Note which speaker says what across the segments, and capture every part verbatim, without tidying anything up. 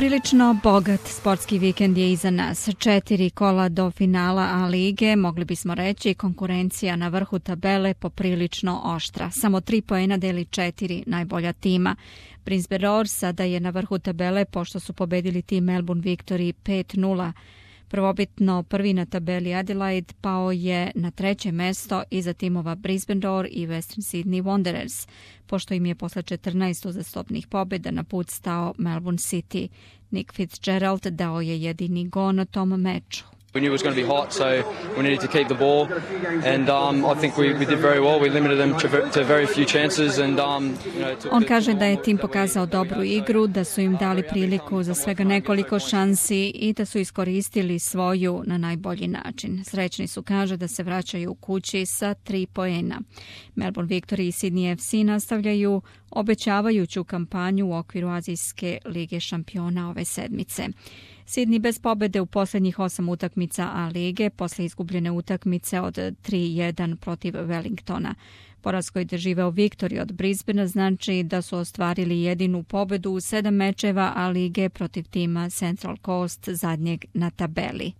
Speaker 1: Poprilično bogat sportski vikend je iza nas. Četiri kola do finala A lige, mogli bismo reći, konkurencija na vrhu tabele poprilično oštra. Samo tri poena deli četiri najbolja tima. Brisbane Roar sada je na vrhu tabele pošto su pobedili tim Melbourne Victory pet nula. Prvobitno prvi na tabeli Adelaide pao je na treće mesto iza timova Brisbane Roar i Western Sydney Wanderers, pošto im je posle četrnaest uzastopnih pobjeda na put stao Melbourne City. Nick Fitzgerald dao je jedini gol na tom meču.
Speaker 2: We knew it was going to be hot, so we needed to keep the ball, and um, I think we, we did very well. We limited them to, to very few chances, and um, you know.
Speaker 1: On kaže da je tim pokazao dobru igru, da su im dali priliku za svega nekoliko šansi i da su iskoristili svoju na najbolji način. Srećni su, kaže, da se vraćaju kući sa tri poena. Melbourne Victory i Sydney F C nastavljaju obećavajuću kampanju u okviru Azijske lige šampiona ove sedmice. Sydney bez pobjede u posljednjih osam utakmica A lige posle izgubljene utakmice od tri jedan protiv Wellingtona. Poraz koji doživeo Victory od Brisbanea znači da su ostvarili jedinu pobjedu u sedam mečeva A lige protiv tima Central Coast, zadnjeg na tabeli.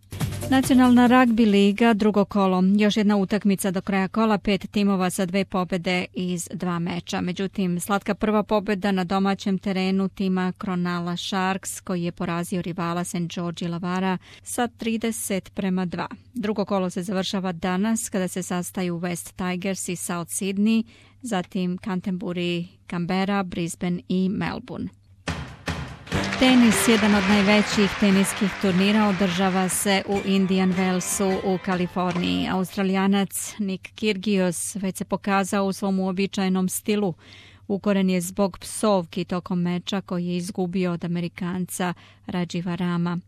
Speaker 1: Nacionalna ragbi liga, drugo kolo. Još jedna utakmica do kraja kola, pet timova sa dve pobjede iz dva meča. Međutim, slatka prva pobjeda na domaćem terenu tima Cronulla Sharks, koji je porazio rivala Saint George Illawarra sa trideset prema dva. Drugo kolo se završava danas kada se sastaju West Tigers i South Sydney, zatim Canterbury, Canberra, Brisbane i Melbourne. Tenis, jedan od najvećih teniskih turnira, održava se u Indian Wellsu u Kaliforniji. Australijanac Nick Kyrgios već se pokazao u svom uobičajenom stilu. Ukoren je zbog psovki tokom meča koji je izgubio od Amerikanca Radživa Rama.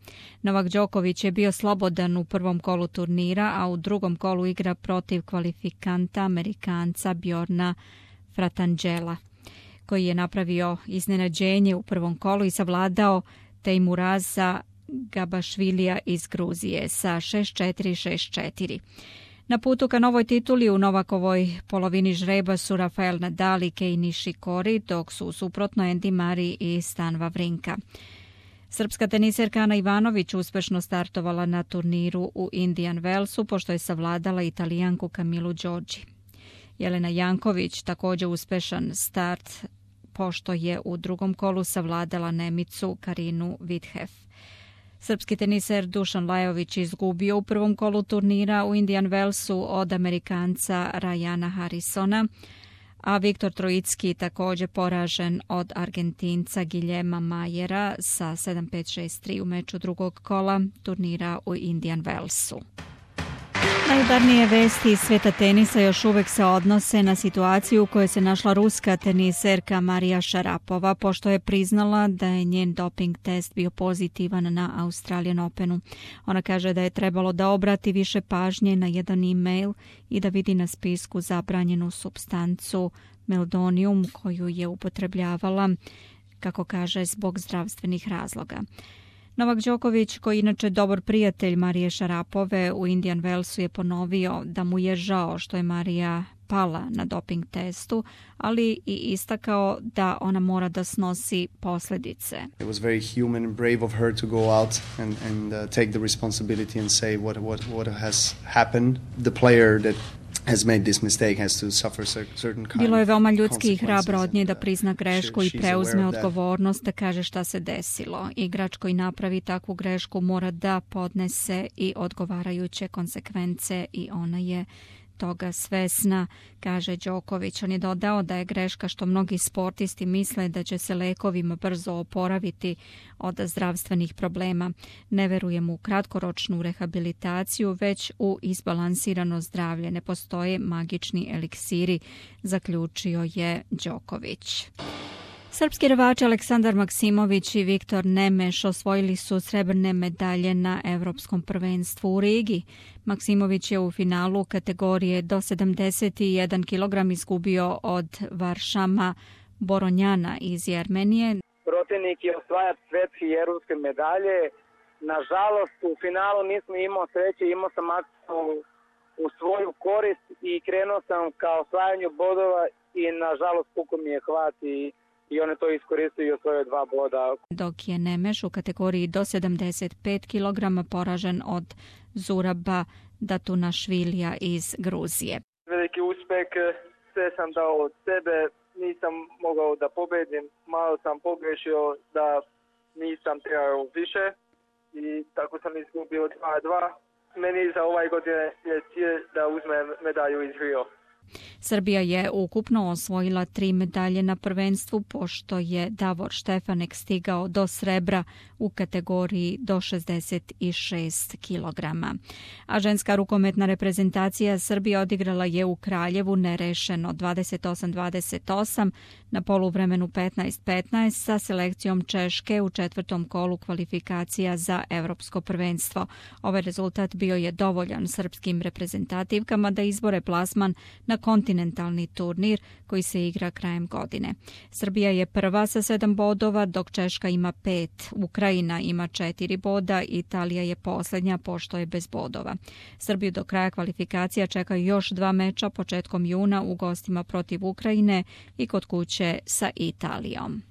Speaker 1: Novak Đoković je bio slobodan u prvom kolu turnira, a u drugom kolu igra protiv kvalifikanta Amerikanca Bjorna Fratangela, koji je napravio iznenađenje u prvom kolu i savladao Teimuraza Gabašvilija iz Gruzije sa šest četiri šest četiri. Na putu ka novoj tituli u Novakovoj polovini žreba su Rafael Nadal i Kei Nishikori, dok su suprotno Andy Murray i Stan Wawrinka. Srpska teniserka Ana Ivanović uspešno startovala na turniru u Indian Wellsu pošto je savladala Italijanku Kamilu Đorđi. Jelena Janković također uspešan start pošto je u drugom kolu savladala Nemicu Karinu Vithef. Srpski teniser Dušan Lajović izgubio u prvom kolu turnira u Indian Wellsu od Amerikanca Rajana Harrisona, a Viktor Trojicki također poražen od Argentinca Guillerma Majera sa sedam pet šest tri u meču drugog kola turnira u Indian Wellsu. Najudarnije vesti iz sveta tenisa još uvek se odnose na situaciju u kojoj se našla ruska teniserka Marija Šarapova, pošto je priznala da je njen doping test bio pozitivan na Australian Openu. Ona kaže da je trebalo da obrati više pažnje na jedan e-mail i da vidi na spisku zabranjenu supstancu meldonium koju je upotrebljavala, kako kaže, zbog zdravstvenih razloga. Novak Đoković, koji je inače dobar prijatelj Marije Šarapove, u Indian Wellsu je ponovio da mu je žao što je Marija pala na doping testu, ali i istakao da ona mora da snosi posljedice.
Speaker 3: It was very human and brave of her to go out and, and uh, take the responsibility and say what, what, what has happened. The player that has made this mistake has to suffer certain kind.
Speaker 1: Bilo je veoma ljudski i hrabro od nje da prizna grešku i preuzme odgovornost, da kaže šta se desilo. Igrač koji napravi takvu grešku mora da podnese i odgovarajuće konsekvence i ona je toga svesna, kaže Đoković. On je dodao da je greška što mnogi sportisti misle da će se lekovima brzo oporaviti od zdravstvenih problema. Ne verujem u kratkoročnu rehabilitaciju, već u izbalansirano zdravlje. Ne postoje magični eliksiri, zaključio je Đoković. Srpski rvači Aleksandar Maksimović i Viktor Nemeš osvojili su srebrne medalje na Evropskom prvenstvu u Rigi. Maksimović je u finalu kategorije do sedamdeset jedan kilogram izgubio od Varšama Boronjana iz Jermenije.
Speaker 4: Protivnik je osvajač svetske i evropske medalje. Nažalost, u finalu nisam imao sreće, imao sam akciju u svoju korist i krenuo sam ka osvajanju bodova i nažalost puko mi je hvat i i on je to iskoristio i osvojio dva boda.
Speaker 1: Dok je Nemeš u kategoriji do sedamdeset pet kilograma poražen od Zuraba Datunašvilija iz Gruzije.
Speaker 5: Veliki uspeh, sve sam dao od sebe, nisam mogao da pobedim, malo sam pogrešio da nisam trebao više i tako sam izgubio dva dva. Meni za ovaj godine je cilj da uzmem medalju iz Rio.
Speaker 1: Srbija je ukupno osvojila tri medalje na prvenstvu, pošto je Davor Štefanek stigao do srebra u kategoriji do šezdeset šest kilograma. A ženska rukometna reprezentacija Srbije odigrala je u Kraljevu nerešeno dvadeset osam dvadeset osam na poluvremenu petnaest petnaest sa selekcijom Češke u četvrtom kolu kvalifikacija za evropsko prvenstvo. Ovaj rezultat bio je dovoljan srpskim reprezentativkama da izbore plasman na kontinentalni turnir koji se igra krajem godine. Srbija je prva sa sedam bodova, dok Češka ima pet, Ukrajina ima četiri boda, Italija je posljednja pošto je bez bodova. Srbiju do kraja kvalifikacija čekaju još dva meča početkom juna u gostima protiv Ukrajine i kod kuće sa Italijom.